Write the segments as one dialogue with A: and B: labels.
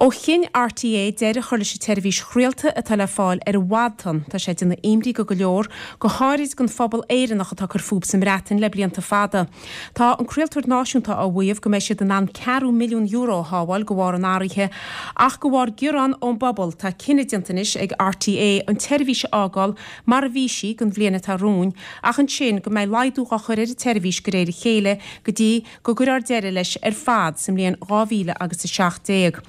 A: Ó chinn RTÉ deireadh a chur leis an tseirbhís chraolta atá le fáil ar an bhfadtonn, tá sé ag déanamh imní go go leor, go háirid don phobal Éireannach atá ag cur fúthu sa mBreatain le blianta fada. Tá an craoltóir náisiúnta á mhaíomh go mbeidh siad in ann ceathrú milliún euro a shábháil de bharr an athraithe, ach de bharr gearán ón bpobal, tá cinneadh déanta anois ag RTÉ an tseirbhís a fhágáil mar a bhí sí don bhliain atá romhainn, ach ansin go mbeidh laghdú á chur ar an tseirbhís de réir a chéile go dtí go gcuirfear deireadh leis ar fad sa mbliain 2000 agus 17.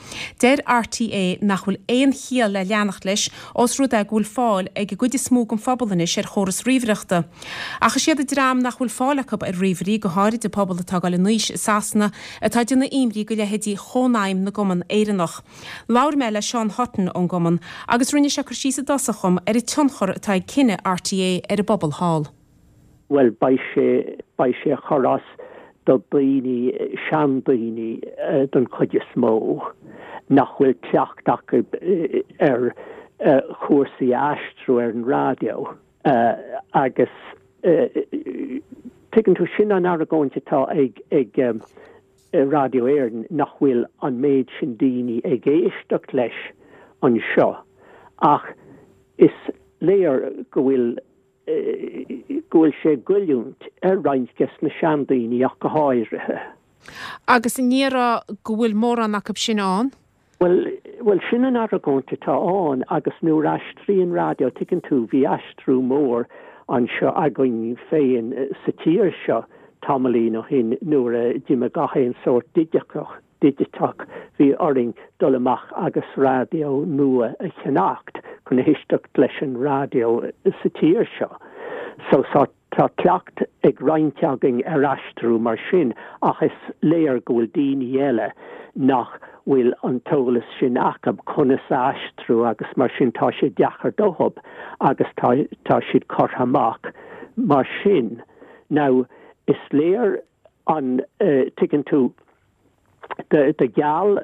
A: Deir RTÉ nach bhfuil aon chiall le leanacht leis ós rud é go bhfuil fáil ag an gcuid is mó den phobal anois ar chóras ríomhaireachta. Ach is iad an dream nach bhfuil fáil acu ar ríomhairí, go háirid an pobal atá ag dul in aois i Sasana, atá ag déanamh imní do leithéidí Chónaidhm na gCumann Éireannach. Labhair mé le Seán Hutton ón gcumann agus rinne sé cur síos i dtosach dhom ar an tionchar atá ag cinneadh RTÉ ar an bpobal thall.
B: Bhuel, beidh sé, beidh sé ag cur as do daoine, seandaoine don chuid is mó, nach bhfuil cleacht acu ar chúrsaí a aistriú ar an raidió agus tuigeann tú, sin an argóint atá ag, ag Raidió Éireann, nach bhfuil an méid sin daoine ag éisteacht leis anseo ach is léir go bhfuil go bhfuil sé ag goilliúint ar roinnt des na seandaoine ach go háirithe.
A: Agus an ndéarfá go bhfuil mórán acu sin ann?
B: Bhuel, bhuel, sin an argóint atá ann agus nuair a aistríonn raidió, tuigeann tú, bhí aistriú mór anseo againn féin sa tír seo tamaillín ó shin nuair a d'imigh gach aon sórt digiteach, digiteach, bhí orainn dul amach agus raidió nua a cheannacht chun éisteacht leis an raidió sa tír seo. So tá cleacht ag roinnt againn ar aistriú mar sin ach is léir go bhfuil daoine eile nach bhfuil an t-eolas sin acu conas a aistriú agus mar sin tá sé deacair dóibh agus tá tá siad curtha amach mar sin. Now is léir an tuigeann tú, do gheall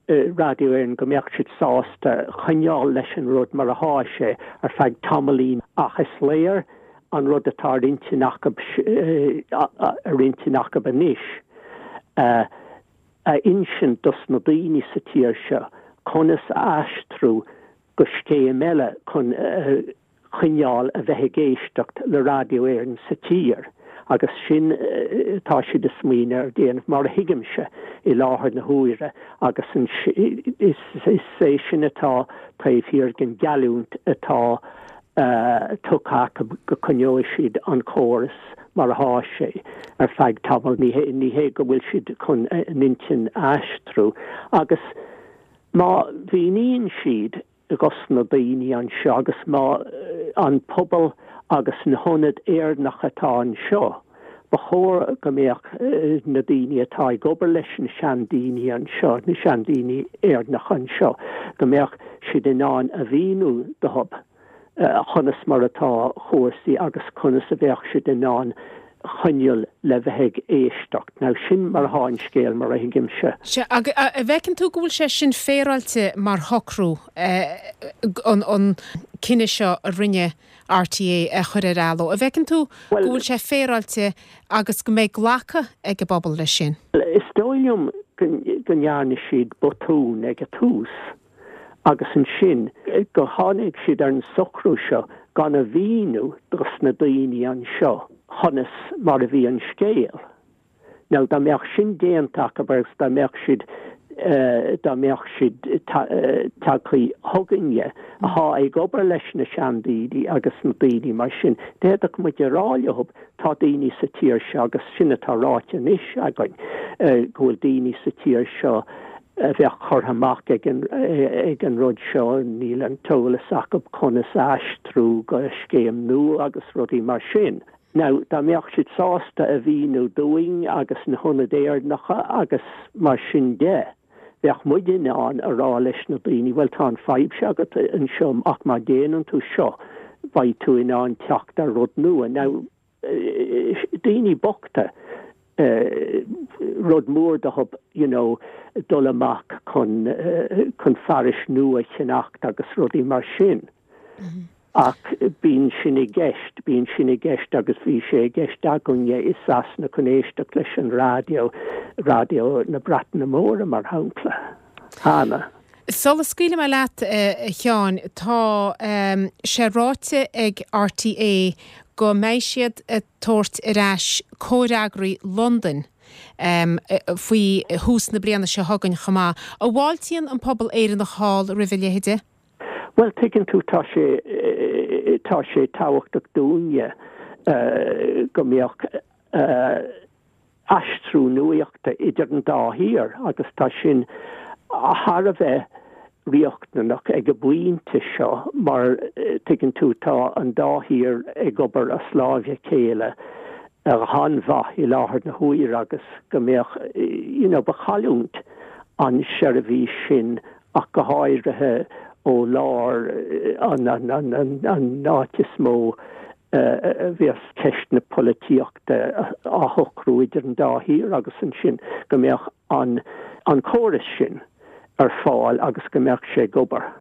B: Raidió Éireann go mbeadh siad sásta coinneáil leis an rud mar athá sé ar feadh tamaillín ach is léir an rud atá ar intinn acu ar intinn acu anois a insint dos na daoine sa tír seo conas a aistriú go scéim eile chun choinneáil a bheith ag éisteacht le Raidió Éireann sa tír agus sin atá siad ag smaoineamh ar déanamh, mar a thuigimse, i láthair na huaire agus is é sin atá taobh thiar den gheallúint atá tugtha acu go coinneoidh siad an córas mar athá sé ar feadh tamaill. Ní hé go bhfuil siad chun a n-intinn a aistriú agus má mhíníonn siad dos na daoine anseo agus má an pobal agus na hionaid Éireannacha atá anseo, ba chóir go mbeadh na daoine atá ag obair leis na seandaoine anseo, na seandaoine Éireannacha anseo, go mbeadh siad in ann a mhíniú dóibh conas mar atá chúrsaí agus conas a bheadh siad in ann choinneáil le bheith ag éisteacht. Now sin mar atá an scéal, mar a thuigimse.
A: Sea, agus an bhfeiceann tú go bhfuil sé sin féaráilte mar shocrú, an cinneadh seo a rinne RTÉ a chur ar athló? An bhfeiceann tú go bhfuil sé féaráilte agus go mbeidh glacadh ag an bpobal leis sin?
B: Is dóigh liom go ndearna siad botún ag an tús. agus ansin go tháinig siad ar an socrú seo gan a mhíniú dos na daoine anseo conas mar a bhí an scéal. Now dá mbeadh sin déanta acu agus dá mbeadh siad dá mbeadh siad tagtha chugainne athá ag obair leis na seandaoine agus na daoine mar sin, d'fhéadfadh muid a rá leo tá daoine sa tír seo agus sin atá ráite anois againn go bhfuil daoine sa tír seo a bheadh curtha amach ag an ag an rud seo, níl an t-eolas acu conas a aistriú go scéim nua agus rudaí mar sin. Now, dá mbeadh siad sásta a mhíniú dúinn agus na hionaid Éireannacha agus mar sin de, bheadh muid in ann a rá leis na daoine, bhuel tá an fadhb seo agat anseo ach má déanann tú seo, beidh tú in ann teacht ar rud nua. Now, daoine bochta, rud mór dóibh you know dul amach chun chun fearais nua a cheannacht agus rudaí mar sin. Ach bíonn sin i gceist, bíonn sin i gceist agus bhí sé i gceist againne i Sasana chun éisteacht leis an raidió, raidió na Breataine Móire mar shampla. Cheana.
A: Sula scaoilfidh mé leat, a Sheáin, tá sé ráite ag RTÉ go mbeidh siad ag tabhairt ar ais comhfhreagraí Londain faoi thús na bliana seo chugainn chomh maith. An bhfáiltíonn an pobal Éireannach thall roimh a leithéide?
B: Bhuel, tuigeann tú, tá sé, tá sé tábhachtach dúinne go mbeadh aistriú nuachta idir an dá thír agus tá sin thar a bheith riachtanach ag an bpointe seo mar, tuigeann tú, tá an dá thír ag obair as láimh a chéile an-mhaith i láthair na huaire agus go mbeadh, you know, ba chailliúint an seirbhís sin ach go háirithe ó lár an an áit is mó a bheas ceist na polaitíochta á shocrú idir an dá thír agus ansin go mbeadh an an córas sin ar fáil agus go mbeadh sé ag obair.